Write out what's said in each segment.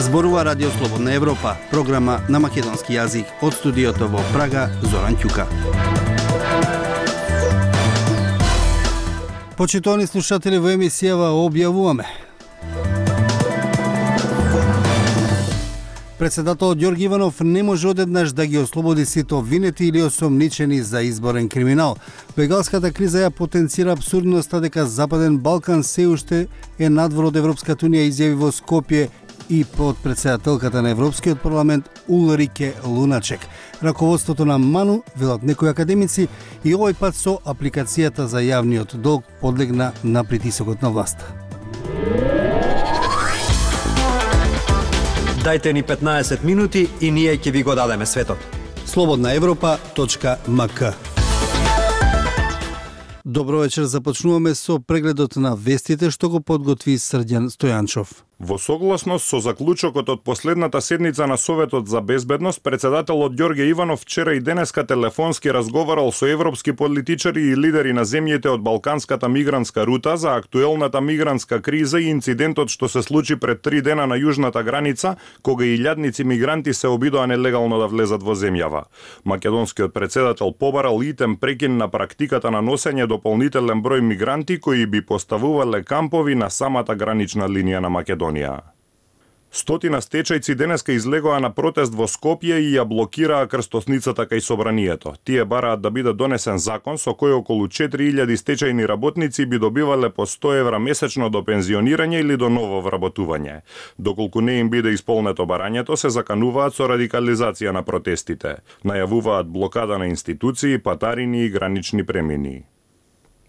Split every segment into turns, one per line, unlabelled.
Зборува Радио Слободна Европа, програма на македонски јазик од студиото во Прага, Зоран Ќука. Почитувани слушатели, во емисијава објавуваме: председателот Ѓорги Иванов не може одеднаш да ги ослободи сите обвинети или осомничени за изборен криминал. Бегалската криза ја потенцира абсурдноста дека Западен Балкан се уште е надвор од Европската унија, изјави во Скопје и подпредседателката на Европскиот парламент Улрике Луначек. Раководството на МАНУ, велат некои академици, и овој пат со апликацијата за јавниот долг подлегна на притисокот на власта.
Дајте ни 15 минути и ние ќе ви го дадеме светот.
slobodnaevropa.mk. Добро вечер, започнуваме со прегледот на вестите што го подготви Срđan Стојанчов.
Во согласност со заклучокот од последната седница на Советот за безбедност, председателот Ѓорге Иванов вчера и денеска телефонски разговарал со европски политичари и лидери на земјите од Балканската мигрантска рута за актуелната мигрантска криза и инцидентот што се случи пред 3 дена на јужната граница, кога илјадници мигранти се обидоа нелегално да влезат во земјава. Македонскиот председател побарал итем прекин на практиката на носење дополнителен број мигранти кои би поставувале кампови на самата гранична линија на Македонија. Стотина стечајци денеска излегоа на протест во Скопје и ја блокираа крстосницата кај собранието. Тие бараат да биде донесен закон со кој околу 4000 стечајни работници би добивале по 100 евра месечно до пензионирање или до ново вработување. Доколку не им биде исполнето барањето, се закануваат со радикализација на протестите. Најавуваат блокада на институции, патарини и гранични премини.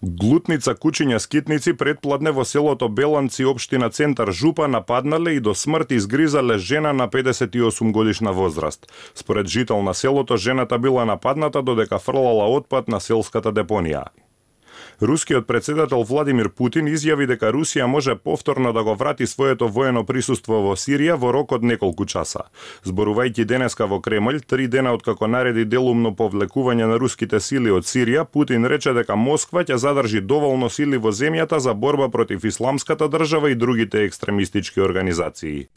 Глутница кучиња скитници предпладне во селото Беланци, општина Центар Жупа, нападнале и до смрт изгризале жена на 58 годишна возраст. Според жител на селото, жената била нападната додека фрлала отпад на селската депонија. Рускиот председател Владимир Путин изјави дека Русија може повторно да го врати своето воено присуство во Сирија во рок од неколку часа. Зборувајќи денеска во Кремљ, 3 дена откако нареди делумно повлекување на руските сили од Сирија, Путин рече дека Москва ќе задржи доволно сили во земјата за борба против исламската држава и другите екстремистички организации.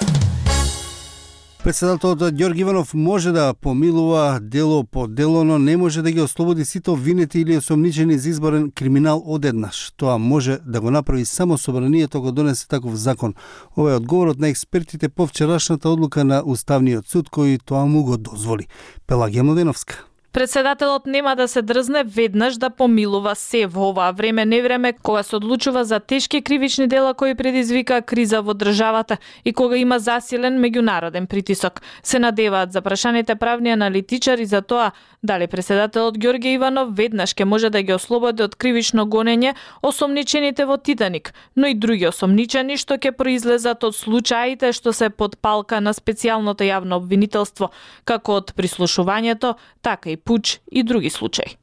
Председателот Ѓорги Иванов може да помилува дело по дело, но не може да ги ослободи сите обвинети или осомничени за изборен криминал одеднаш. Тоа може да го направи само собранието го донесе таков закон. Ова е одговорот на експертите по вчерашната одлука на Уставниот суд, кој тоа му го дозволи. Пелагија Младеновска.
Председателот нема да се дрзне веднаш да помилува се во оваа време невреме кога се одлучува за тешки кривични дела кои предизвика криза во државата и кога има засилен меѓународен притисок. Се надеваат запрашаните правни аналитичари за тоа дали председателот Ѓорге Иванов веднаш ќе може да ги ослободи од кривично гонење осомничените во Титаник, но и други осомничени што ќе произлезат од случаите што се под палка на специјалното јавно обвинителство, како од прислушувањето, така и пуч и други случаи.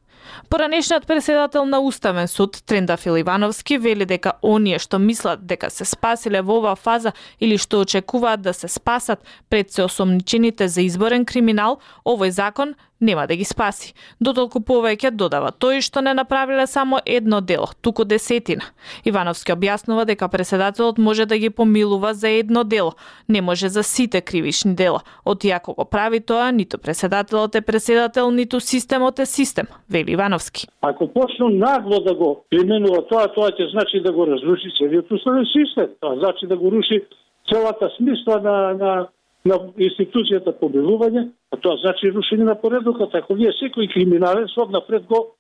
Поранешниот председател на Уставен суд, Трендафил Ивановски, вели дека оние што мислат дека се спасиле во оваа фаза или што очекуваат да се спасат пред се осомничените за изборен криминал, овој закон нема да ги спаси. Дотолку повеќе додава тој што не направиле само едно дело, туку 10. Ивановски објаснува дека председателот може да ги помилува за едно дело, не може за сите кривични дела. Отиако го прави тоа, ниту председателот е председател, ниту системот е систем, вели Ивановски.
Ако почну нагло да го применува тоа ќе значи да го разруши целиот уставен систем. Тоа значи да го руши целата смисла на институцијата помилување, а тоа значи рушење на поредокот. Ако вие секој криминален срок напред го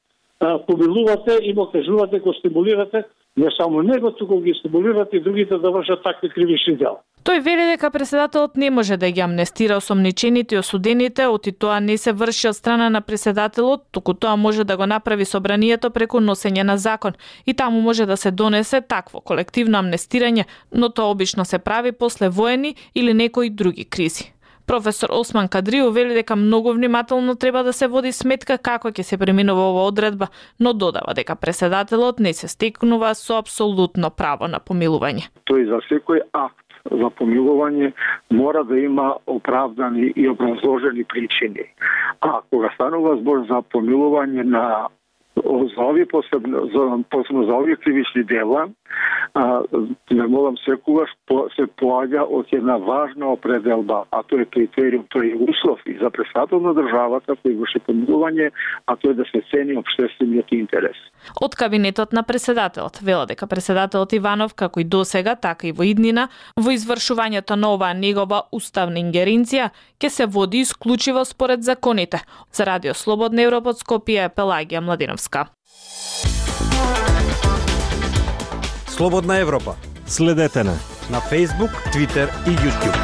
помилувате и му кажувате, го стимулирате, не само него, туку ги стимулирате и другите да вршат такви кривични дела.
Тој вели дека председателот не може да ги амнестира осомничените и осудените, оти тоа не се врши од страна на председателот, туку тоа може да го направи собранието преку носење на закон и таму може да се донесе такво колективно амнестирање, но тоа обично се прави после воени или некои други кризи. Професор Осман Кадрио вели дека многу внимателно треба да се води сметка како ќе се преминува оваа одредба, но додава дека председателот не се стекнува со апсолутно право на помилување.
Тој за секој акт за помилување мора да има оправдани и образложени причини. А кога станува збор за помилување на за овие посебно за овие кривични дела, Не молам секогаш се поаѓа од една важна определба, а тоа е критериум, тоа е услов и за председател на државата кој врши помилување, а тоа е да се цени општествениот интерес.
Од кабинетот на преседателот вела дека преседателот Иванов, како и досега, така и во иднина, во извршувањето на оваа негова уставна ингеренција ќе се води исклучиво според законите. За Радио Слободна Европа од Скопје, Пелагија Младиновска.
Слободна Европа.
Следете на
Facebook, Twitter и YouTube.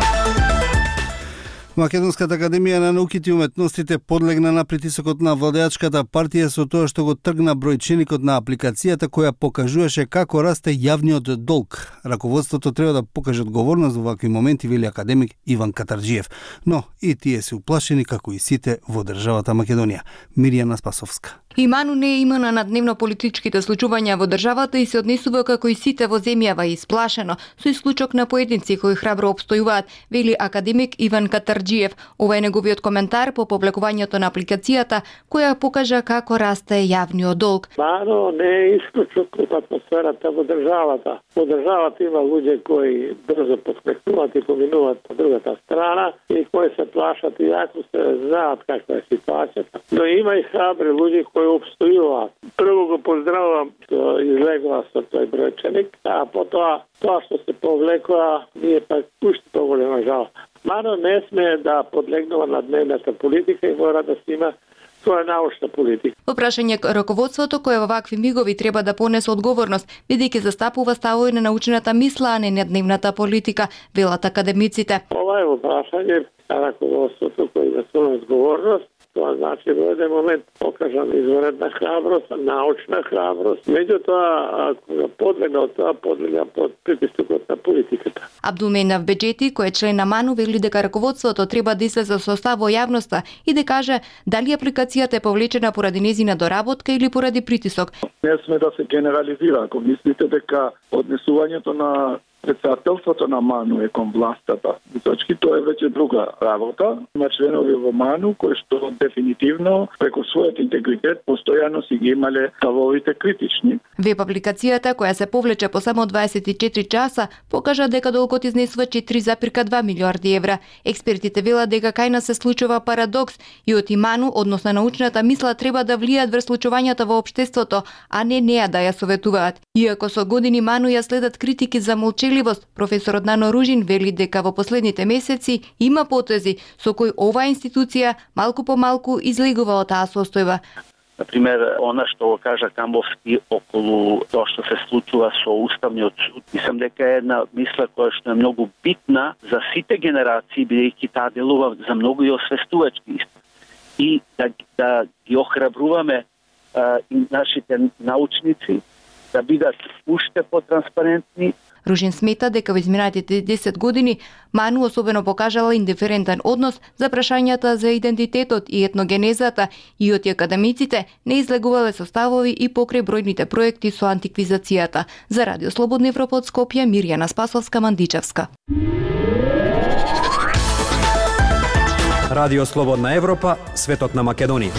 Македонската академија на науките и уметностите подлегна на притисокот на владеачката партија со тоа што го тргна бројченикот на апликацијата која покажуваше како расте јавниот долг. Раководството треба да покаже одговорност во вакви моменти, вели академик Иван Катарджиев. Но и тие се уплашени како и сите во државата Македонија. Мирјана Спасовска.
И Ману не е имуна на дневно-политичките случувања во државата и се однесува како и сите во земјава исплашено, со исклучок на поединци кои храбро обстојуваат, вели академик Иван Катарджиев. Ова е неговиот коментар по публикувањето на апликацијата, која покажа како расте јавниот долг.
Ману не е исклучок од атмосферата во државата. Во државата има луѓе кои брзо подскакнуваат и поминуваат по другата страна и кои се плашат и јако се знаат каква е ситуацијата. Но има и храбри луѓе кои обстојуваат. Прво го поздравувам што излегува со тој бројченик, а потоа тоа што се повлекува ние пак уште поголема жал. Ману не сме да подлегнува на дневната политика и мора да се има тоа е научна политика.
Во прашање раководството кое во вакви мигови треба да понесе одговорност, бидејќи застапува ставови на научната мисла, а не на дневната политика, велат академиците.
Ова е во прашање раководството кој има своја одговорност. Тоа значи во еден момент покажам изваредна храброст, научна храброст. Меѓутоа, кога подлега под притисокот на политиката.
Абдулменав Беџети, кој е член на Ману, вели дека раководството треба да излезе со став во јавноста и да каже дали апликацијата е повлечена поради незина доработка или поради притисок.
Не сме да се генерализира. Ако мислите дека однесувањето на председателството на Ману е кон властата, точки тоа е веќе друга работа. Има членови во Ману кои што дефинитивно преку својот интегритет постојано си ги имале ставовите критични.
Веб апликацијата која се повлече по само 24 часа покажа дека долгот изнесува 4,2 милиарди евра. Експертите велат дека кај нас се случува парадокс и од Ману, односно научната мисла, треба да влијат врз случувањата во општеството, а не неа да ја советуваат. Иако со години Ману ја следат критики за молчеливост, професорот Нано Ружин вели дека во последните месеци има потези со кои оваа институција малку по малку излегува од таа состојба.
Например, она што го кажа Камбовски околу тоа што се случува со Уставниот суд. Мислам дека е една мисла која што е многу битна за сите генерации, бидејќи таа делува за многу и освестувачки. И да ги охрабруваме и нашите научници да бидат уште потранспарентни.
Ружин смета дека во изминатите 10 години Ману особено покажала индиферентен однос за прашањата за идентитетот и етногенезата и од академиците не излегувале составови и покрај бројните проекти со антиквизацијата. За Радио Слободна Европа од Скопје, Мирјана Спасовска, Мандичевска.
Радио Слободна Европа, светот на Македонија.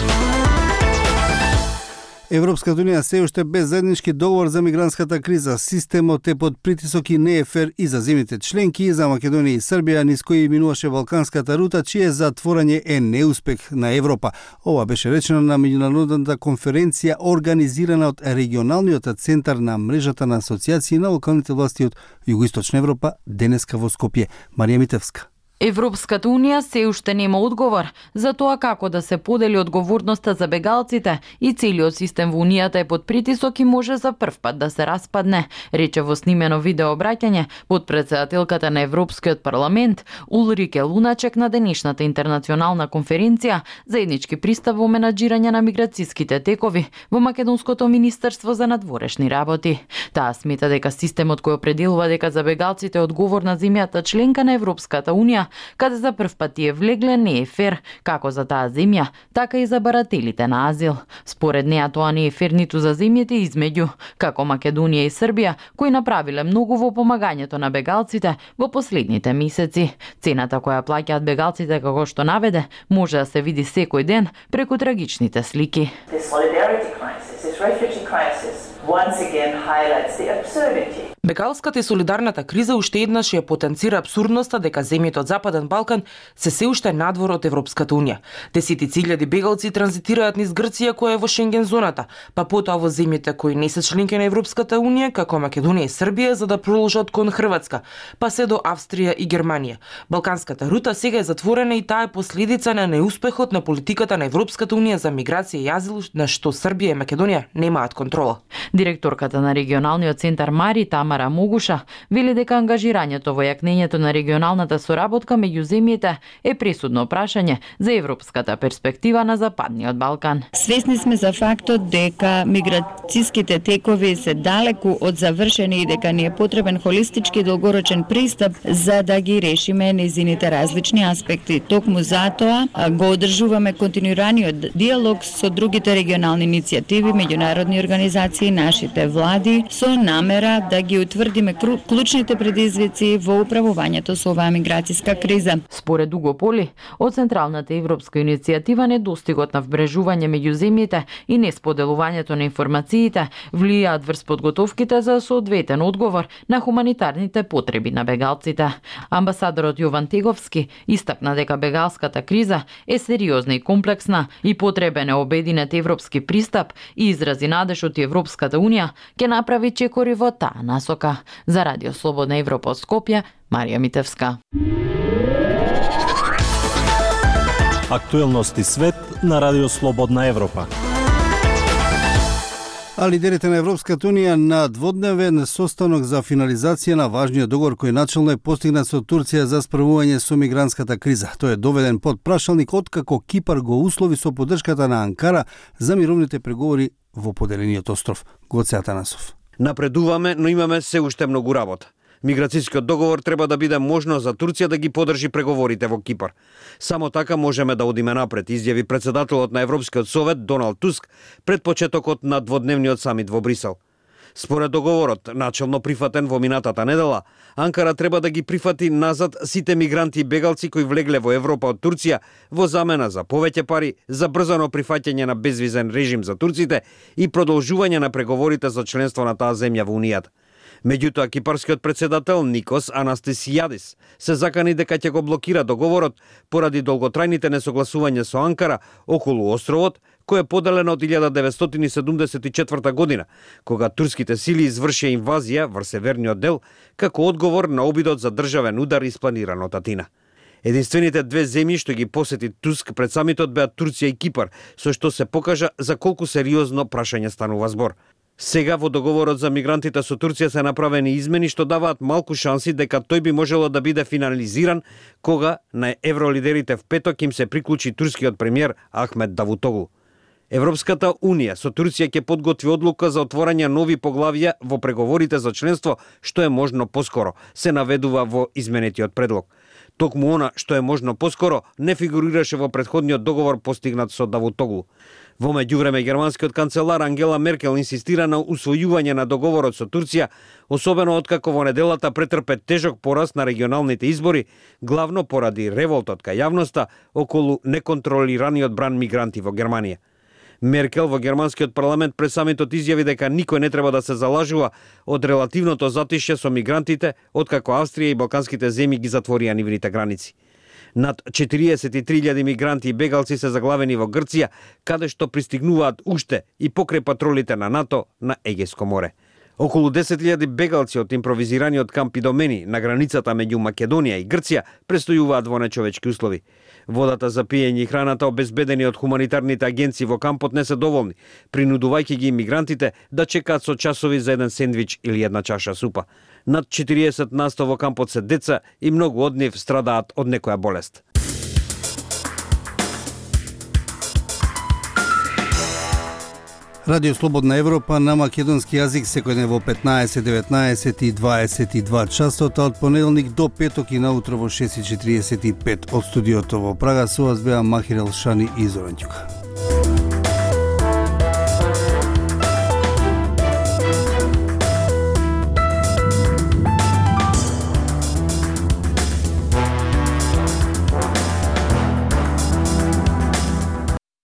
Европската унија се уште без заеднички договор за мигрантската криза. Системот е под притисок и не е фер и за земјите членки, и за Македонија и Србија, низ кои минуваше Балканската рута, чие затворање е неуспех на Европа. Ова беше речено на меѓународната конференција организирана од регионалниот центар на мрежата на асоциации на локалните власти од Југоисточна Европа денеска во Скопје. Марија Митевска.
Европската унија се уште нема одговор за тоа како да се подели одговорноста за бегалците и целиот систем во унијата е под притисок и може за прв пат да се распадне, рече во снимено видео обраќање под претседателката на Европскиот парламент Улрике Луначек на денешната интернационална конференција заеднички пристап во менаџирање на миграцијските текови во Македонското министерство за надворешни работи. Таа смета дека системот кој определува дека за бегалците е одговорна земјата членка на Европската унија, каде за прв пат тие влегле, не е фер, како за таа земја, така и за барателите на азил. Според неа тоа не е фер ниту за земјите измеѓу, како Македонија и Србија, кои направиле многу во помагањето на бегалците во последните месеци. Цената која плаќаат бегалците, како што наведе, може да се види секој ден преку трагичните слики.
Бегалската и солидарната криза уште еднаш ја потенцира абсурдноста дека земјите од Западен Балкан се уште надвор од Европската унија. Десетици илјади бегалци транзитираат низ Грција која е во Шенген зоната, па потоа во земјите кои не се членки на Европската унија, како Македонија и Србија, за да продолжат кон Хрватска, па се до Австрија и Германија. Балканската рута сега е затворена и таа е последица на неуспехот на политиката на Европската унија за миграција и азил, на што Србија и Македонија немаат контрола.
Директорката на регионалниот центар Мари, Тамара Могуша, вели дека ангажирањето во јакнењето на регионалната соработка меѓу земјите е пресудно прашање за европската перспектива на Западниот Балкан.
Свесни сме за фактот дека миграцијските текови се далеку од завршени и дека ни е потребен холистички долгорочен пристап за да ги решиме незините различни аспекти. Токму затоа го одржуваме континуираниот диалог со другите регионални иницијативи, меѓународни организации, нашите влади, со намера да ги утврдиме клучните предизвици во управувањето со оваа миграцијска криза.
Според Уго Поли, од Централната европска иницијатива недостигот на вбрежување меѓу земјите и несподелувањето на информациите влијаат врз подготовките за соодветен одговор на хуманитарните потреби на бегалците. Амбасадорот Јован Теговски истакна дека бегалската криза е сериозна и комплексна и потребен е обединет европски пристап и изрази надеж од Европската унија ќе направи чекори во таа насока. За Радио Слободна Европа од Скопје, Марија Митевска.
Актуелности свет на Радио Слободна Европа.
А лидерите на Европската унија на дводневен состанок за финализација на важниот договор кој начално е постигнат со Турција за справување со мигрантската криза. Тој е доведен под прашалник откако Кипар го услови со поддршката на Анкара за мировните преговори во поделениот остров. Гоце Атанасов.
Напредуваме, но имаме се уште многу работа. Миграцијскиот договор треба да биде можно за Турција да ги подржи преговорите во Кипар. Само така можеме да одиме напред, изјави председателот на Европскиот совет Доналд Туск пред почетокот на дводневниот самит во Брисел. Според договорот, начелно прифатен во минатата недела, Анкара треба да ги прифати назад сите мигранти и бегалци кои влегле во Европа од Турција во замена за повеќе пари, за брзано прифаќање на безвизен режим за турците и продолжување на преговорите за членство на таа земја во Унијата. Меѓутоа, кипарскиот председател Никос Анастасијадис се закани дека ќе го блокира договорот поради долготрајните несогласувања со Анкара околу островот, кој е поделен од 1974 година, кога турските сили извршија инвазија врз северниот дел, како одговор на обидот за државен удар испланиран од Атина. Единствените две земји што ги посети Туск пред самитот беа Турција и Кипар, со што се покажа за колку сериозно прашање станува збор. Сега во договорот за мигрантите со Турција се направени измени што даваат малку шанси дека тој би можело да биде финализиран кога на евролидерите в петок им се приклучи турскиот премиер Ахмет Давутоглу. Европската унија со Турција ќе подготви одлука за отворање нови поглавја во преговорите за членство што е можно поскоро, се наведува во изменетиот предлог. Токму она што е можно поскоро не фигурираше во претходниот договор постигнат со Давутоглу. Во меѓувреме германскиот канцелар Ангела Меркел инсистира на усвојување на договорот со Турција, особено откако во неделата претрпе тежок пораст на регионалните избори, главно поради револтот кај јавноста околу неконтролираниот бран мигранти во Германија. Меркел во германскиот парламент пред самитот изјави дека никој не треба да се залажува од релативното затишје со мигрантите, откако Австрија и балканските земји ги затворија нивните граници. Над 43.000 мигранти и бегалци се заглавени во Грција, каде што пристигнуваат уште и покрај патролите на НАТО на Егејско море. Околу 10.000 бегалци од импровизираниот камп Идомени на границата меѓу Македонија и Грција престојуваат во нечовечки услови. Водата за пиење и храната обезбедени од хуманитарните агенции во кампот не се доволни, принудувајќи ги мигрантите да чекаат со часови за еден сендвич или една чаша супа. Над 40% во кампот се деца и многу од нив страдаат од некоја болест.
Радио Слободна Европа на македонски јазик секој ден во 15, 19 и 22 часот, од понеделник до петок и наутро во 6:45 од студиото во Прага. Со вас беа Махир Елшани и Зоран Ѓука.